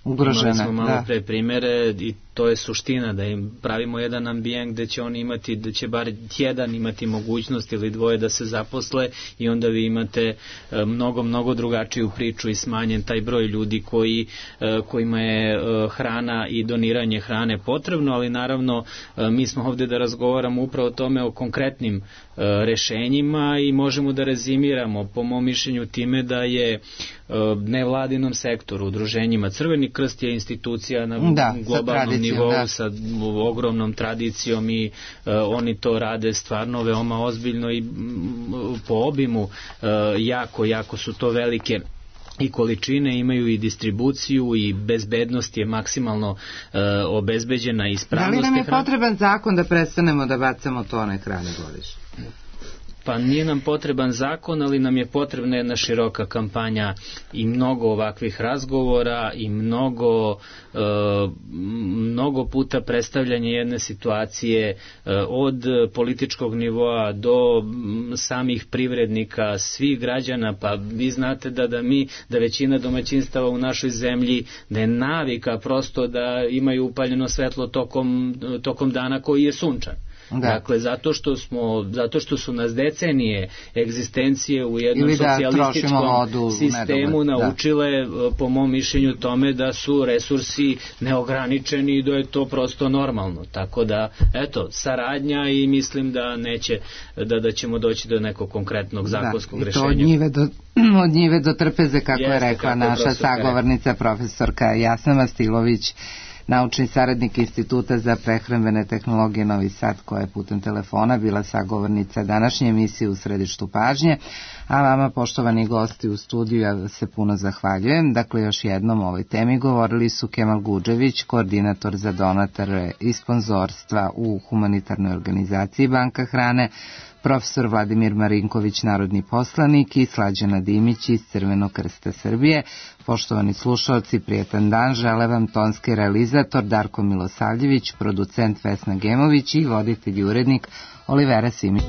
Ugrožene, imali smo malo pre primere i to je suština, da im pravimo jedan ambijent gde će oni imati, da će bar jedan imati mogućnost ili dvoje da se zaposle i onda vi imate mnogo drugačiju priču i smanjen taj broj ljudi kojima je hrana i doniranje hrane potrebno, ali naravno mi smo ovde da razgovaramo upravo o tome, o konkretnim rešenjima i možemo da rezimiramo po mom mišljenju time da je nevladinom sektoru, udruženjima, Crveni krst je institucija na globalnom nivou sa ogromnom tradicijom i oni to rade stvarno veoma ozbiljno i po obimu jako su to velike i količine, imaju i distribuciju i bezbednost je maksimalno obezbeđena i ispravnost. Da li nam je potreban zakon da prestanemo da bacamo tone hrane godišnje? Pa nije nam potreban zakon, ali nam je potrebna jedna široka kampanja i mnogo ovakvih razgovora i mnogo puta predstavljanje jedne situacije od političkog nivoa do samih privrednika, svih građana, pa vi znate da većina domaćinstava u našoj zemlji da je navika prosto da imaju upaljeno svetlo tokom dana koji je sunčan. Dakle, zato što su nas decenije egzistencije u jednom socijalističkom sistemu naučile, po mom mišljenju, tome da su resursi neograničeni i da je to prosto normalno. Tako da, eto, saradnja i mislim da neće, da ćemo doći do nekog konkretnog zakonskog rešenja. I to od njive do trpeze, kako je rekla naša sagovornica profesorka Jasna Mastilović, naučni saradnik Instituta za prehrambene tehnologije Novi Sad, koja je putem telefona bila sagovornica današnje emisije U središtu pažnje, a vama, poštovani gosti u studiju, ja se puno zahvaljujem. Dakle, još jednom o ovoj temi govorili su Kemal Gudžević, koordinator za donatore i sponzorstva u humanitarnoj organizaciji Banka hrane, profesor Vladimir Marinković, narodni poslanik, i Slađana Dimić iz Crvenog krsta Srbije. Poštovani slušalci, prijetan dan, žele vam tonski realizator Darko Milosavljević, producent Vesna Gemović i voditelj i urednik Olivera Simić.